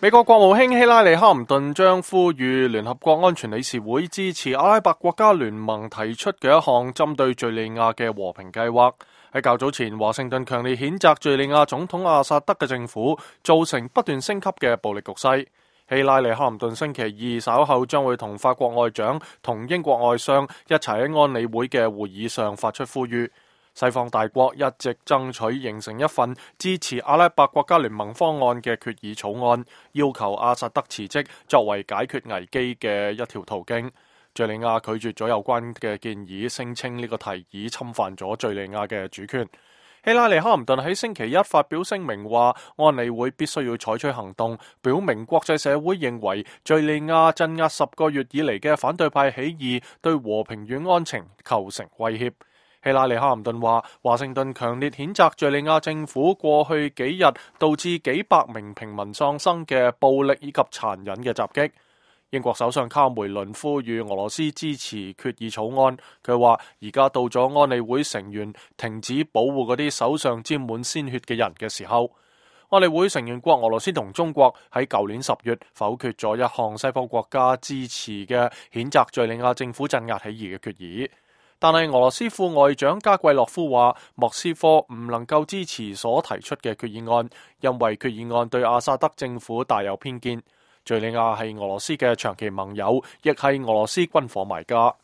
美國國務卿希拉里·哈林頓將呼籲聯合國安全理事會支持阿拉伯國家聯盟提出嘅一項針對敘利亞嘅和平計劃。喺較早前，華盛頓強烈譴責敘利亞總統阿薩德嘅政府造成不斷升級嘅暴力局勢。希拉里·哈林頓星期二稍後將會同法國外長同英國外相一齊喺安理會嘅會議上發出呼籲。西方大國一直爭取形成一份支持阿拉伯國家聯盟方案嘅決議草案，要求阿薩德辭職作為解決危機嘅一條途徑。敘利亞拒絕咗有關嘅建議，聲稱呢個提議侵犯咗敘利亞嘅主權。希拉里·哈林頓喺星期一發表聲明話，安理會必須要採取行動，表明國際社會認為敘利亞鎮壓10個月以嚟嘅反對派起義對和平與安情構成威脅。希拉里·哈林頓話，華盛頓強烈譴責敘利亞政府過去幾日導致幾百名平民喪生嘅暴力以及殘忍嘅襲擊。英國首相卡梅倫呼籲俄羅斯支持決議草案。佢話而家到咗安理會成員停止保護嗰啲手上沾滿鮮血嘅人嘅時候。安理會成員國俄羅斯同中國喺舊年10月否決咗一項西方國家支持嘅譴責敘利亞政府鎮壓起義嘅決議。但係俄羅斯副外長加季洛夫話，莫斯科唔能夠支持所提出嘅決議案，因為決議案對阿薩德政府帶有偏見。敘利亞係俄羅斯嘅長期盟友，亦係俄羅斯軍火買家。